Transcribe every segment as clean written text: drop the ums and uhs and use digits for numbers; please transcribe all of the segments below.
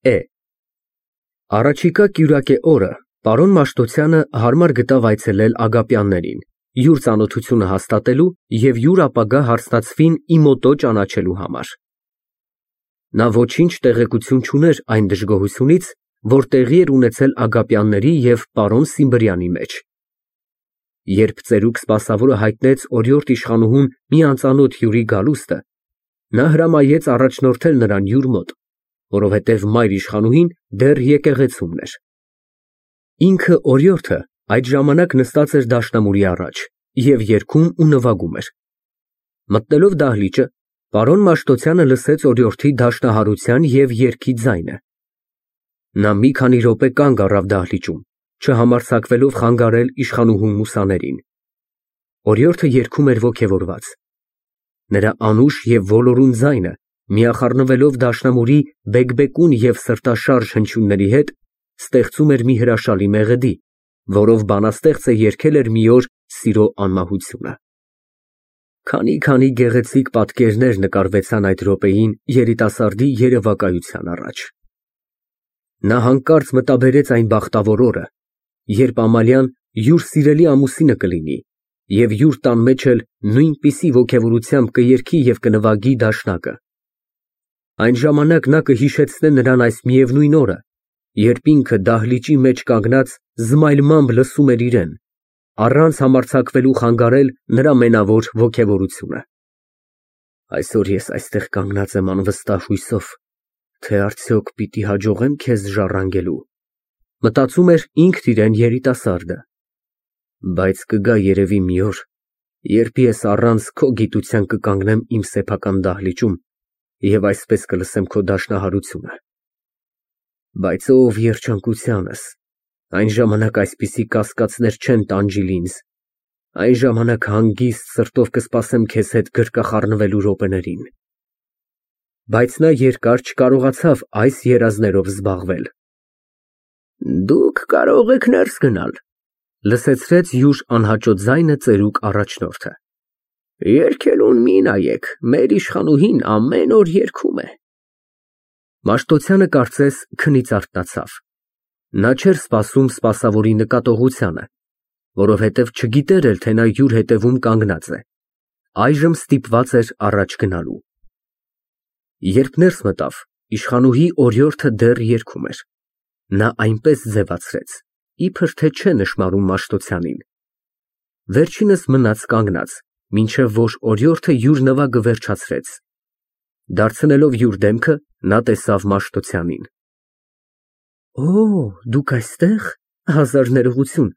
Է։ Առաջիկա կյուրակե օրը պարոն Մաշտոցյանը հարմար գտավ այցելել Ագապյաններին, յուր ծանոթությունը հաստատելու և յուր ապագա հարսնացվին իմոտո ճանաչելու համար։ Նա ոչինչ տեղեկություն չուներ այն դժգոհությունից, որ տեղի էր ունեցել Ագապյանների և պարոն Սիմբրյանի մեջ։ Երբ ծերուկ սպասավորը հայտնեց օրիորդ իշխանուհուն մի անծանոթ հյուրի գալուստը, նա հրամայեց առաջնորդել նրան յուր մոտ, որովհետև մայր իշխանուհին դեռ եկեղեցումն էր։ Ինքը օրիորդը այդ ժամանակ նստած էր դաշնամուրի առաջ և երգում ու նվագում էր։ Մտնելով դահլիճը, պարոն Մաշտոցյանը լսեց օրիորդի դաշնահարության և երգի ձայնը։ Նա մի քանի րոպե կանգ առավ դահլիճում, չհամարձակվելով խանգարել իշխանուհու մուսաներին։ Օրիորդը երգում էր ոգևորված։ Նրա անուշ և ոլորուն ձայնը, միախառնվելով դաշնամուրի բեկբեկուն և սրտաշարժ հնչյունների հետ, ստեղծում էր մի հրաշալի մեղեդի, որով բանաստեղծը երգել էր մի օր սիրո անմահությունը։ Քանի գեղեցիկ պատկերներ նկարվեցան այդ րոպեին երիտասարդի երևակայության առաջ։ Նա հանկարծ մտաբերեց այն բախտավոր օրը, երբ Ամալիան յուր սիրելի ամուսինը կլինի և յուր տան մեջ էլ նույնպիսի ոգևորությամբ կերգի և կնվագի դաշնակը։ Այն ժամանակ նա կհիշեցնե նրան այս միևնույն օրը, երբ ինքը դահլիճի մեջ կանգնած զմայլմամբ լսում էր իրեն, առանց համարձակվելու խանգարել նրա մենավոր ոգևորությունը։ Այսօր ես այստեղ կանգնած եմ անվստահ հույսով, թե արդյոք պիտի հաջողե՞մ քեզ ժառանգելու, մտածում էր ինքն իրեն երիտասարդը։ Բայց կգա երևի մի օր, երբ ես առանց քո գիտության կկանգնեմ իմ սեփական դահլիճում և այսպես կլսեմ քո դաշնահարությունը։ Բայց ով երջանկությանս, այն ժամանակ այսպիսի կասկածներ չեն տանջիլ ինձ, այն ժամանակ հանգիստ սրտով կսպասեմ քեզ հետ գրկախառնվելու րոպեներին։ Բայց նա երկար չկարողացավ այս երազներով զբաղվել։ Դուք կարող եք ներս գնալ, լսեցրեց յուր անհաճո ձայնը ծերուկ առաջնորդը։ Երգելուն մի նայեք, մեր իշխանուհին ամեն օր երգում է։ Մաշտոցյանը կարծես քնից արթնացավ։ Նա չէր սպասում սպասավորի նկատողությանը, որովհետև չգիտեր էլ, թե նա յուր հետևում կանգնած է, այժմ ստիպված էր առաջ գնալու։ Երբ ներս մտավ, իշխանուհի օրիորդը դեռ երգում էր։ Նա այնպես ձևացրեց, իբր թե չէ նշմարում Մաշտոցյանին։ Վերջինս մնաց կանգնած, մինչև որ օրիորդը յուր նվագը վերջացրեց։ Դարձնելով յուր դեմքը, նա տեսավ Մաշտոցյանին։ Օ, դուք այստեղ, հազար ներողություն,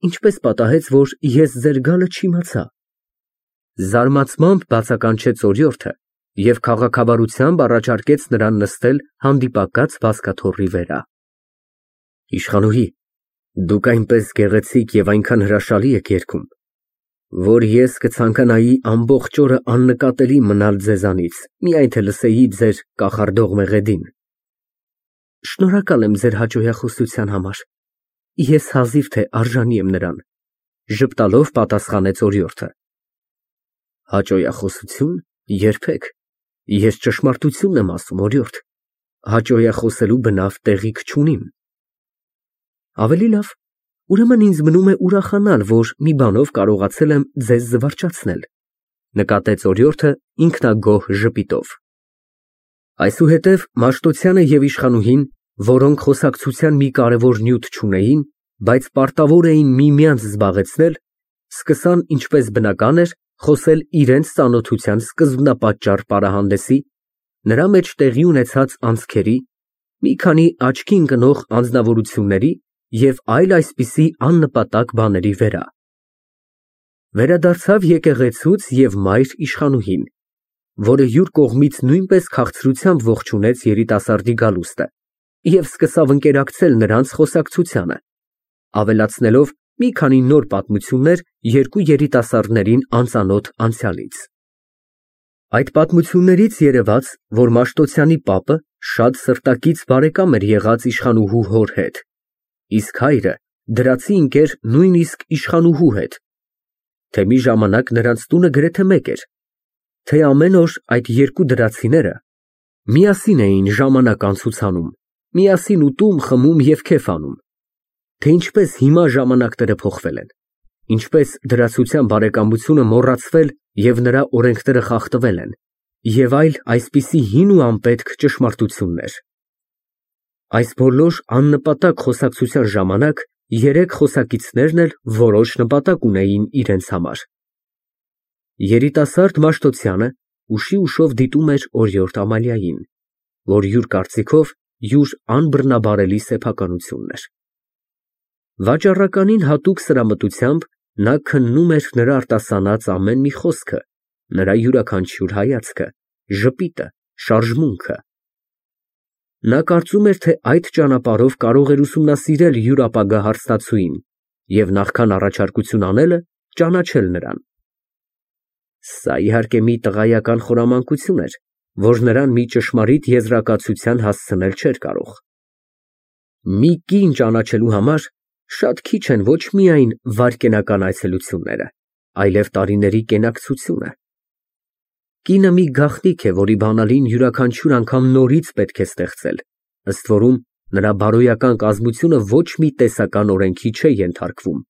ինչպես պատահեց, որ ես ձեր գալը չիմացա։ Զարմացմամբ բացականչեց օրիորդը և քաղաքավարությամբ առաջարկեց նրան նստել հանդիպակաց բազկաթոռի վրա։ Իշխանուհի, դուք այնպես գեղեցիկ և այնքան հրաշալի եք երգում, որ ես կցանկանայի ամբողջ օրը աննկատելի մնալ ձեզանից, միայն թե լսեի ձեր կախարդող մեղեդին։ Շնորհակալ եմ ձեր հաճոյախոսության համար, ես հազիվ թե արժանի եմ նրան, ժպտալով պատասխանեց օրիորդը։ Հաճոյախոսություն, երբեք, ես ճշմարտությունն եմ ասում, օրիորդ, հաճոյախոսելու բնավ տեղիք չունիմ։ Ավելի լավ, ուրեմն ինձ մնում է ուրախանալ, որ մի բանով կարողացել եմ ձեզ զվարճացնել, նկատեց օրիորդը ինքնագոհ ժպիտով։ Այսուհետև Մաշտոցյանը և իշխանուհին, որոնք խոսակցության մի կարևոր նյութ չունեին, բայց պարտավոր էին միմյանց զբաղեցնել, սկսան, ինչպես բնական էր, խոսել իրենց ծանոթության սկզբնապատճառ պարահանդեսի, նրա մեջ տեղի ունեցած անցքերի, մի քանի աչքի ընկնող անձնավորությունների և այլ այսպիսի աննպատակ բաների վրա։ Վերադարձավ եկեղեցուց և մայր իշխանուհին, որը յուր կողմից նույնպես քաղցրությամբ ողջունեց երիտասարդի գալուստը և սկսավ ընկերակցել նրանց խոսակցությանը, ավելացնելով մի քանի նոր պատմություններ երկու երիտասարդներին անծանոթ անցյալից։ Այդ պատմություններից երևաց, որ Մաշտոցյանի պապը շատ սրտակից բարեկամ էր եղած իշխանուհու հոր հետ, իսկ հայրը դրացի ընկեր նույնիսկ իշխանուհու հետ, թե մի ժամանակ նրանց տունը գրեթե մեկ էր, թե ամեն օր այդ երկու դրացիները միասին էին ժամանակ անցուցանում միասին ուտում, խմում և քեֆ անում, թե ինչպես հիմա ժամանակները փոխվել են, ինչպես դրացության բարեկամությունը մոռացվել և նրա օրենքները խախտվել են, և այլ այսպիսի հին ու անպետք ճշմարտություններ։ Այս բոլոր աննպատակ խոսակցության ժամանակ երեք խոսակիցներն էլ որոշ նպատակ ունեին իրենց համար։ Երիտասարդ Մաշտոցյանը ուշի ուշով դիտում էր օրիորդ Ամալիային, որ յուր կարծիքով յուր անբռնաբարելի սեփականությունն էր։ Վաճառականին հատուկ սրամտությամբ նա քննում էր նրա արտասանած ամեն մի խոսքը, նրա յուրաքանչյուր հայացքը, ժպիտը, շարժմունքը։ Նա կարծում էր, թե այդ ճանապարհով կարող էր ուսումնասիրել յուր ապագա հարստացուին և նախքան առաջարկություն անելը ճանաչել նրան։ Սա իհարկե մի տղայական խորամանկություն էր, որ նրան մի ճշմարիտ եզրակացության հասցնել չէր կարող։ Մի կին ճանաչելու համար շատ քիչ են ոչ միայն վայրկենական այցելությունները, այլև տարիների կենակցությունը։ Կինը մի գաղտնիք է, որի բանալին յուրաքանչյուր անգամ նորից պետք է ստեղծել, ըստ որում նրա բարոյական կազմությունը ոչ մի տեսական օրենքի չէ ենթարկվում։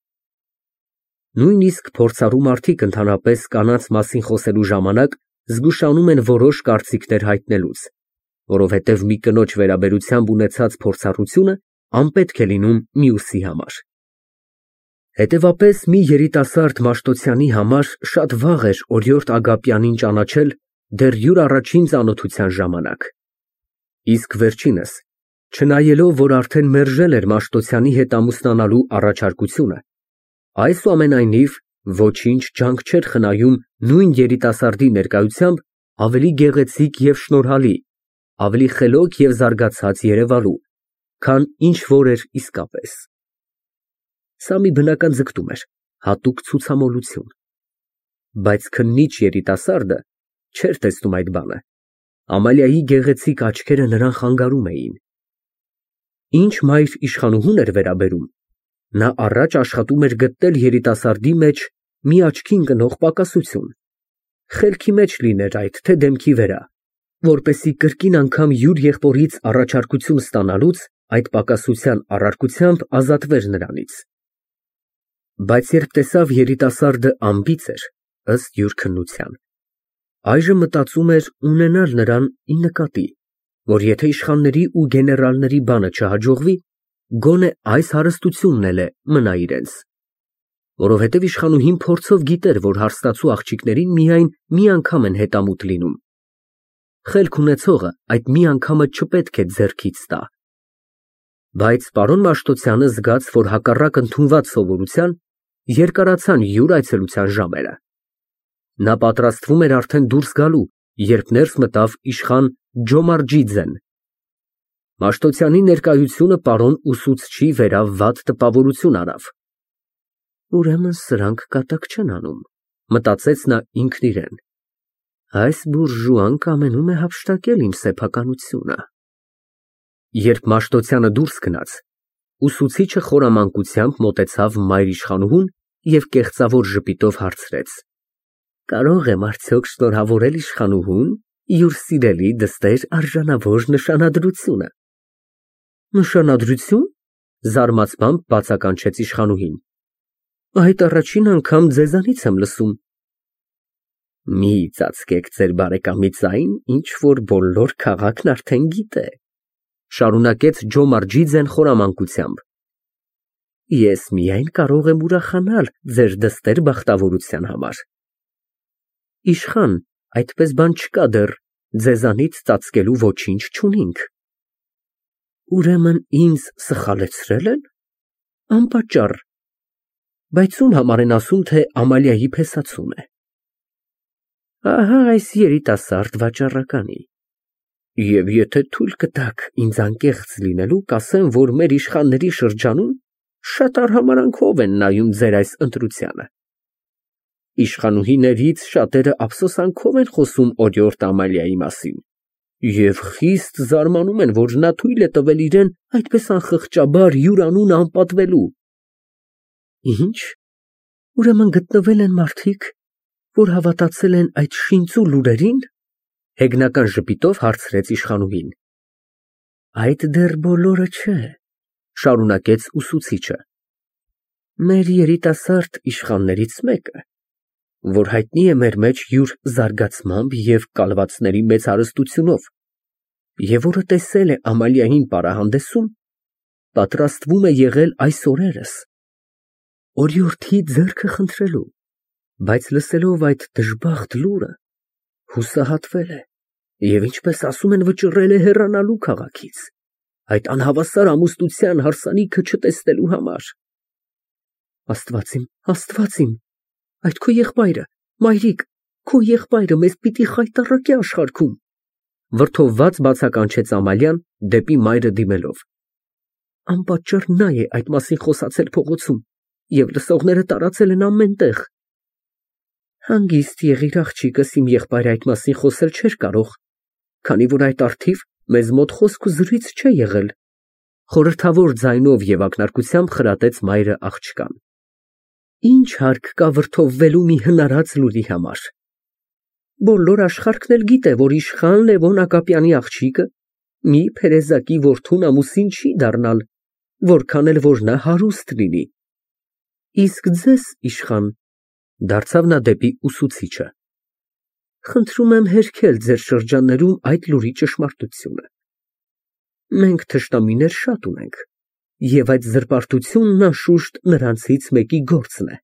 Նույնիսկ փորձառու մարդիկ ընդհանրապես կանանց մասին խոսելու ժամանակ զգուշանում են որոշ կարծիքներ հայտնելուց, որովհետև մի կնոջ վերաբերությամբ ունեցած փորձառությունը անպետք է լինում մյուսի համար։ Հետևաբար մի երիտասարդ Մաշտոցյանի համար շատ վաղ էր օրիորդ Ագապյանին ճանաչել դեռ յուր առաջին ծանոթության ժամանակ։ Իսկ վերջինս, չնայելով, որ արդեն մերժել էր Մաշտոցյանի հետ ամուսնանալու առաջարկությունը, այսուամենայնիվ ոչինչ ջանք չէր խնայում նույն երիտասարդի ներկայությամբ ավելի գեղեցիկ և շնորհալի, ավելի խելոք և զարգացած երևալու, քան ինչ որ էր իսկապես։ Սա մի բնական ձգտում էր, հատուկ ցուցամոլություն։ Բայց քննիչ երիտասարդը չէր տեսնում այդ բանը։ Ամալիայի գեղեցիկ աչքերը նրան խանգարում էին։ Ինչ մայր իշխանուհուն էր վերաբերում, նա առաջ աշխատում էր գտնել երիտասարդի մեջ մի աչքի ընկնող պակասություն, խելքի մեջ լիներ այդ, թե դեմքի վրա, որպեսզի կրկին անգամ յուր եղբորից առաջարկություն ստանալուց այդ պակասության առարկությամբ ազատվեր նրանից։ Բայց երբ տեսավ երիտասարդը անբիծ էր, ըստ յուր քննության, այժմ մտածում էր ունենալ նրան ի նկատի, որ եթե իշխանների ու գեներալների բանը չհաջողվի, գոնե այս հարստությունն էլ է մնա իրենց, որովհետև իշխանուհին փորձով գիտեր, որ հարստացու աղջիկներին միայն մի անգամ են հետամուտ լինում։ Խելք ունեցողը այդ մի անգամը չպետք է ձեռքից տա։ Բայց պարոն Մաշտոցյանը զգաց, որ հակառակ ընդունված սովորության, երկարացան յուր այցելության ժամերը։ Նա պատրաստվում էր արդեն դուրս գալու, երբ ներս մտավ իշխան Ջոմարջիձեն։ Մաշտոցյանի ներկայությունը պարոն ուսուցչի վերա վատ տպավորություն արավ։ Ուրեմն սրանք կատակ չեն անում, մտածեց նա ինքն իրեն։ Այս բուրժուան կամենում է հափշտակել իմ սեփականությունը։ Երբ Մաշտոցյանը դուրս գնաց, ուսուցիչը խորամանկությամբ մոտեցավ մայր իշխանուհուն և կեղծավոր ժպիտով հարցրեց. Կարող եմ արդյոք շնորհավորել իշխանուհուն յուր սիրելի դստեր արժանավոր նշանադրությունը։ Նշանադրություն, զարմացած բացականչեց իշխանուհին։ Այդ առաջին անգամ ձեզանից եմ լսում։ Մի ծածկեք ձեր բարեկամի ձայն, ինչ որ բոլոր քաղաքն արդեն գիտե, շարունակեց Ջոմարջիձեն խորամանկությամբ։ Ես միայն կարող եմ ուրախանալ ձեր դստեր բախտավորության համար։ Իշխան, այդպես բան չկա դեռ, ձեզանից ծածկելու ոչինչ չունինք։ Ուրեմն ինձ սխալեցրել են։ Անպատճառ։ Բայց ում համար են ասում, թե Ամալիայի փեսացուն է։ Ահա այս երիտասարդ վաճառականի։ Եվ եթե թույլ կտաք ինձ անկեղծ լինելու, կասեմ, որ մեր իշխանների շրջանում շատ արհամարհանքով են նայում ձեր այս ընտրությանը։ Իշխանուհիներից շատերը ափսոսանքով են խոսում օրիորդ Ամալիայի մասին և խիստ զարմանում են, որ նա թույլ է տվել իրեն այդպես անխղճաբար յուր անունը անպատվելու։ Ինչ, ուրեմն գտնվել են մարդիկ, որ հավատացել են այդ շինծու լուրերին, հեգնական ժպիտով հարցրեց իշխանուհին։ Այդ դեռ բոլորը չէ, շարունակեց ուսուցիչը։ Մեր երիտասարդ իշխաններից մեկը, որ հայտնի է մեր մեջ յուր զարգացմամբ և կալվածների մեծ հարստությունով, և որը տեսել է Ամալիային պարահանդեսում, պատրաստվում է եղել այս օրերս օրիորդի ձեռքը խնդրելու, բայց լսելով այդ դժբախտ լուրը, հուսահատվել է և, ինչպես ասում են, վճռել է հեռանալու քաղաքից, այդ անհավասար ամուսնության հարսանիքը չտեսնելու համար։ Աստված իմ, այդ քո եղբայրը, մայրիկ, քո եղբայրը մեզ պիտի խայտառակի աշխարհքում, վրդովված բացականչեց Ամալիան դեպի մայրը դիմելով։ Անպատճառ նա է այդ մասին խոսացել փողոցում և լսողները տարածել են ամեն տեղ։ Հանգիստ եղիր, աղջիկս, իմ եղբայրը այդ մասին խոսել չէր կարող, քանի որ այդ առթիվ մեզ մոտ խոսք ու զրույց չէ եղել, խորհրդավոր ձայնով և ակնարկությամբ խրատեց մայրը աղջկան։ Ինչ հարկ կա վրդովվելու մի հնարած լուրի համար։ Բոլոր աշխարհն էլ գիտե, որ իշխան Լևոն Ագապյանի աղջիկը մի փերեզակի որդուն ամուսին չի դառնալ, որքան էլ որ նա հարուստ լինի։ Իսկ ձեզ, իշխան, դարձավ նա դեպի ուսուցիչը, խնդրում եմ հերքել ձեր շրջաններում այդ լուրի ճշմարտությունը։ Մենք թշնամիներ շատ ունենք, և այդ զրպարտությունն անշուշտ նրանցից մեկի գործն է։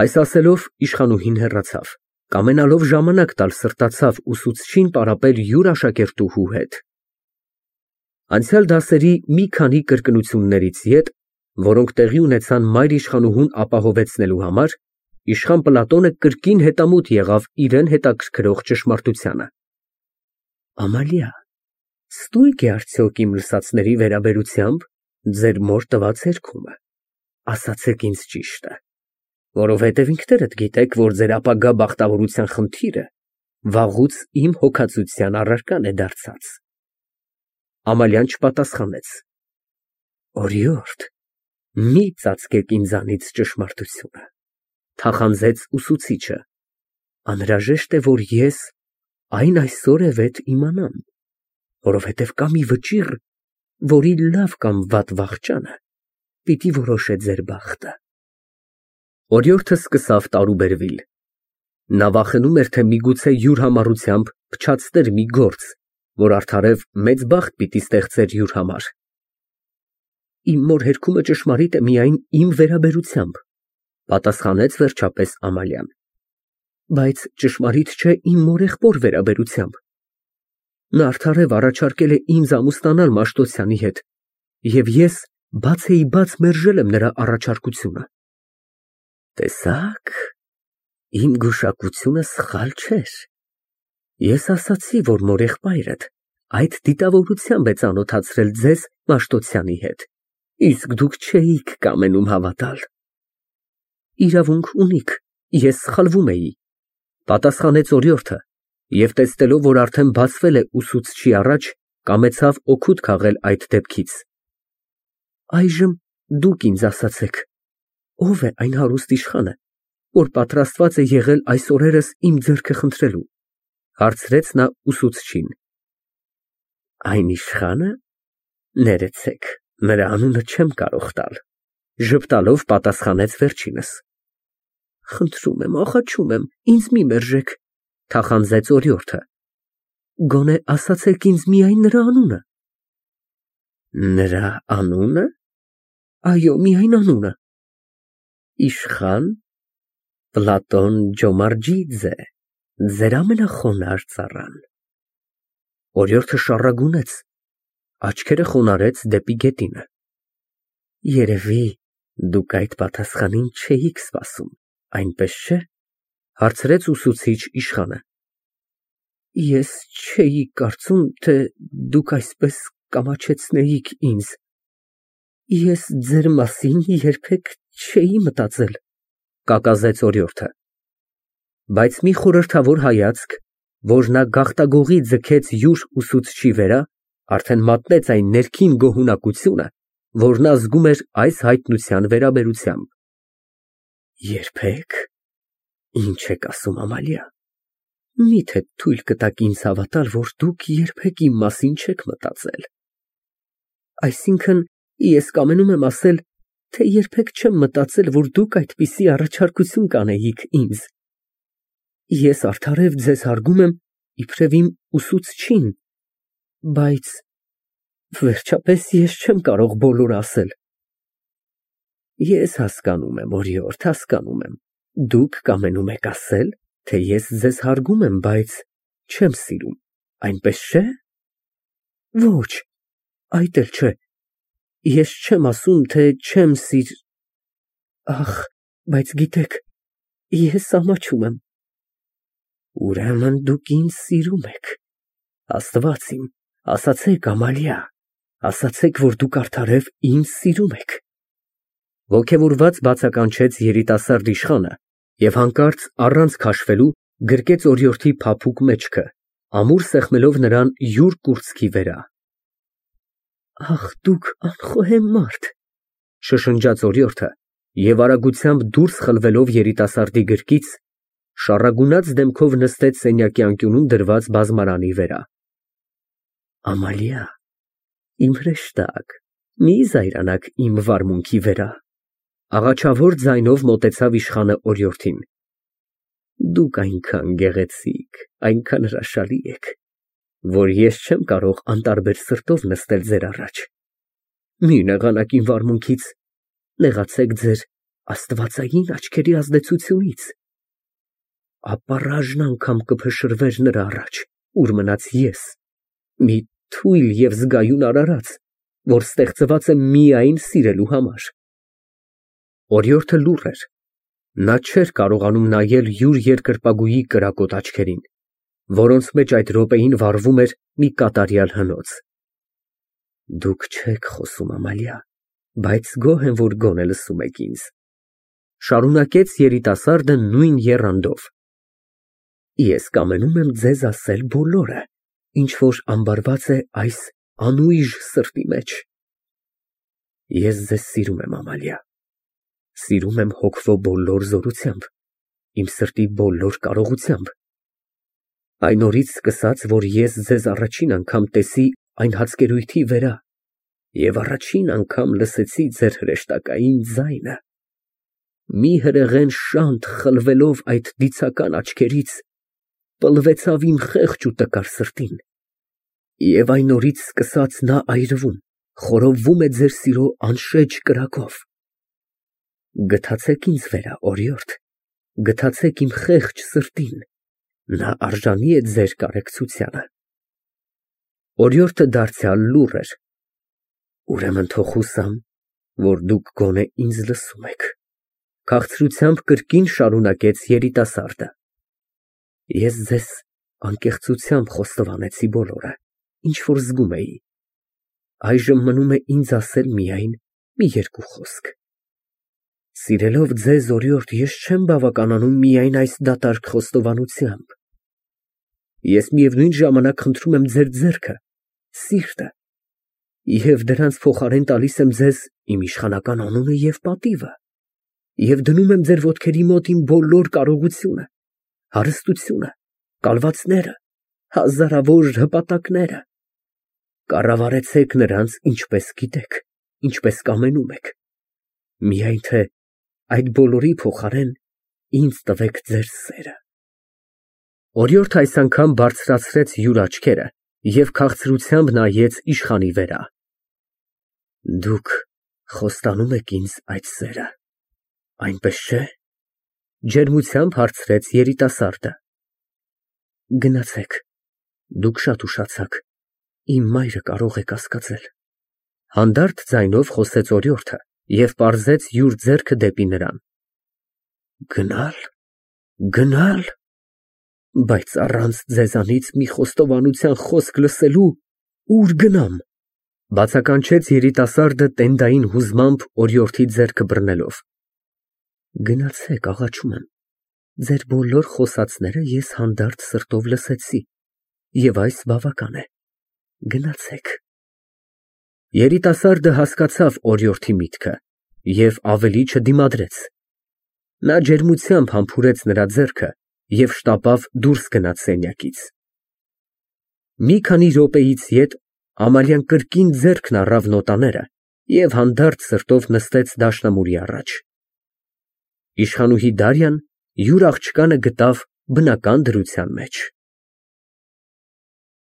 Այս ասելով իշխանուհին հեռացավ, կամենալով ժամանակ տալ սրտացավ ուսուցչին պարապել յուր աշակերտուհու հետ։ Անցյալ դասերի մի քանի կրկնություններից ետ, որոնք տեղի ունեցան մայր իշխանուհուն ապահովեցնելու համար, իշխան Պլատոնը կրկին հետամուտ եղավ իրան հետաքրքրող ճշմարտությանը։ Ամալիա, ստույգ է արդյոք իմ լսածների վերաբերությամբ ձեր մոր տված հերքումը, ասացեք ինձ ճիշտը, որովհետև ինքներդ գիտեք, որ ձեր ապագա բախտավորության խնդիրը վաղուց իմ հոգածության առարկան է դարձած։ Ամալիան չպատասխանեց։ Օրիորդ, մի ծածկեք ինձանից ճշմարտությունը, թախանձեց ուսուցիչը, անհրաժեշտ է, որ ես այն այսօրևեթ իմանամ, որովհետև կա մի վճիռ, որի լավ կամ վատ վախճանը պիտի որոշե ձեր բախտը։ Օրիորդը սկսավ տարուբերվել։ Նա վախենում էր, թե միգուցե յուր համառությամբ փչացներ մի գործ, որ արդարև մեծ բախտ պիտի ստեղծեր յուր համար։ Իմ մոր հերքումը ճշմարիտ է միայն իմ վերաբերությամբ, պատասխանեց վերջապես Ամալիան, բայց ճշմարիտ չէ իմ մորեղբոր վերաբերությամբ։ Նա արդարև առաջարկել է ինձ ամուսնանալ Մաշտոցյանի հետ, և ես բաց մերժել եմ նրա առաջարկությունը։ Տեսա՞ք, իմ գուշակությունը սխալ չէր։ Ես ասացի, որ մորեղբայրդ այդ դիտավորությամբ է ծանոթացրել ձեզ Մաշտոցյանի հետ, իսկ դուք չէիք կամենում հավատալ։ Իրավունք ունիք, ես սխալվում էի, պատասխանեց օրիորդը, և տեսնելով, որ արդեն բացվել է ուսուցչի առաջ, կամեցավ օգուտ քաղել այդ դեպքից։ Այժմ դուք ինձ ասացեք, ով է այն հարուստ իշխանը, որ պատրաստված է եղել այս օրերս իմ ձեռքը խնդրելու, հարցրեց նա ուսուցչին։ Այն իշխանը, ներեցեք, նրա անունը չեմ կարող տալ, ժպտալով պատասխանեց վերջինս։ Խնդրում եմ, աղաչում եմ, ինձ մի մերժեք, թախանձեց օրիորդը։ Գոնե ասացեք ինձ միայն նրա անունը։ Նրա անունը։ Այո, միայն անունը։ Իշխան Պլատոն Ջոմարջիձե, ձեր ամենախոնար ծառան։ Օրիորդը շառագունեց, աչքերը խոնարհեց դեպի գետինը։ Երևի դուք այդ պատասխանին չէիք սպասում, այնպես չէ՞, հարցրեց ուսուցիչ իշխանը։ Ես չէի կարծում, թե դուք այսպես կամաչեցնեիք ինձ։ Ես ձեր մասին երբեք չէի մտածել, կակազեց օրիորդը։ Բայց մի խորհրդավոր հայացք, որ նա գաղտագողի ձգեց յուր ուսուցչի վրա, արդեն մատնեց այն ներքին գոհունակությունը, որ նա զգում էր այս հայտնության վերաբերությամբ։ Երբեք։ Ինչ եք ասում, Ամալիա։ Միթե թույլ կտաք ինձ հավատալ, որ դուք երբեք իմ մասին չեք մտածել։ Այսինքն, ես կամենում եմ ասել, թե երբեք չեմ մտածել, որ դուք այդպիսի առաջարկություն կանեիք ինձ։ Ես արդարև ձեզ հարգում եմ իբրև իմ ուսուցչին, բայց վերջապես ես չեմ կարող բոլորը ասել։ Ես հասկանում եմ, օրիորդ, հասկանում եմ։ Դուք կամենում եք ասել, թե ես ձեզ հարգում եմ, բայց չեմ սիրում, այնպես չէ՞։ Ոչ, այդ էլ չէ։ Ես չեմ ասում, թե չեմ Ախ, բայց գիտեք, ես ամաչում եմ։ Ուրեմն դուք ինձ սիրում եք։ Աստված իմ, ասացեք, Ամալիա, ասացեք, որ դուք արդարև ինձ սիրում եք։ Ոգևորված բացականչեց երիտասարդ իշխանը և հանկարծ առանց քաշվելու գրկեց օրիորդի փափուկ մեջքը, ամուր սեղմելով նրան յուր կուրծքի վրա։ Ախ, դուք անխոհեմ մարդ, շշնջաց օրիորդը և արագությամբ դուրս խլվելով երիտասարդի գրկից, շառագունած դեմքով նստեց սենյակի անկյունում դրված բազմարանի վրա։ Ամալիա, իմ հրեշտակ, մի զայրանաք իմ վարմունքի վրա, աղաչավոր ձայնով մոտեցավ իշխանը օրիորդին։ Դուք այնքան գեղեցիկ, այնքան հրաշալի եք, որ ես չեմ կարող անտարբեր սրտով նստել ձեր առաջ։ Մի նեղանաք իմ վարմունքից, նեղացեք ձեր աստվածային աչքերի ազդեցությունից։ Ապառաժն անգամ կփշրվեր նրա առաջ, ուր մնաց ես, մի թույլ և զգայուն արարած, որ ստեղծված է միայն սիրելու համար։ Օրիորդը լուռ էր։ Նա չէր կարողանում նայել յուր երկրպագուի կրակոտ աչքերին, որոնց մեջ այդ րոպեին վառվում էր մի կատարյալ հնոց։ Դուք չեք խոսում, Ամալիա, բայց գոհ եմ, որ գոնե լսում եք ինձ, շարունակեց երիտասարդը նույն եռանդով։ Ես կամենում եմ ձեզ ասել բոլորը, ինչ որ ամբարված է այս անույժ սրտի մեջ։ Ես ձեզ սիրում եմ, Ամալիա, սիրում եմ հոգվո բոլոր զորությամբ, իմ սրտի բոլոր կարողությամբ։ Այն օրից սկսած, որ ես ձեզ առաջին անգամ տեսի այն հացկերույթի վրա և առաջին անգամ լսեցի ձեր հրեշտակային ձայնը, մի հրեղեն շանթ խլվելով այդ դիցական աչքերից, պլվեցավ իմ խեղճ ու տկար սրտին, և այն օրից սկսած նա այրվում, խորովվում է ձեր սիրո անշեջ կրակով։ Գթացեք ինձ վրա, օրիորդ, գթացեք իմ խեղճ սրտին, նա արժանի է ձեր կարեկցությանը։ Օրիորդը դարձյալ լուռ էր։ Ուրեմն թող հուսամ, որ դուք գոնե ինձ լսում եք, քաղցրությամբ կրկին շարունակեց երիտասարդը։ Ես ձեզ անկեղծությամբ խոստովանեցի բոլորը, ինչ որ զգում էի։ Այժմ մնում է ինձ ասել միայն մի երկու խոսք։ Սիրելով ձեզ, օրիորդ, ես չեմ բավականանում միայն այս դատարկ խոստովանությամբ։ Ես միևնույն ժամանակ խնդրում եմ ձեր ձեռքը, սիրտը, և դրանց փոխարեն տալիս եմ ձեզ իմ իշխանական անունը և պատիվը, և դնում եմ ձեր ոտքերի մոտ իմ բոլոր կարողությունը, հարստությունը, կալվածները, հազարավոր հպատակները։ Կառավարեցեք նրանց ինչպես գիտեք, ինչպես կամենում եք, միայն թե այդ բոլորի փոխարեն ինձ տվեք ձեր սերը։ Օրիորդը այս անգամ բարձրացրեց յուր աչքերը և քաղցրությամբ նայեց իշխանի վրա։ Դուք խոստանում եք ինձ այդ սերը, այնպես չէ՞։ Ջերմությամբ հարցրեց երիտասարդը։ Գնացեք, դուք շատ ուշացաք, իմ մայրը կարող է կասկածել։ Հանդարտ ձայնով խոսեց օրիորդը և պարզեց յուր ձեռքը դեպի նրան։ Գնալ, գնալ, բայց առանց ձեզանից մի խոստովանության խոսք լսելու ուր գնամ, բացականչեց երիտասարդը տենդային հուզմամբ օրիորդի ձեռքը բռնելով։ Գնացեք, աղաչում եմ, ձեր բոլոր խոսածները ես հանդարտ սրտով լսեցի, և այս բավական է, գնացեք։ Երիտասարդը հասկացավ օրիորդի միտքը և ավելի չդիմադրեց։ Նա ջերմությամբ համբուրեց նրա ձեռքը և շտապավ դուրս գնաց սենյակից։ Մի քանի րոպեից ետ Ամալիան կրկին ձեռքն առավ նոտաները և հանդարտ սրտով նստեց դաշնամուրի առաջ։ Իշխանուհի Դարյան յուր աղջկանը գտավ բնական դրության մեջ։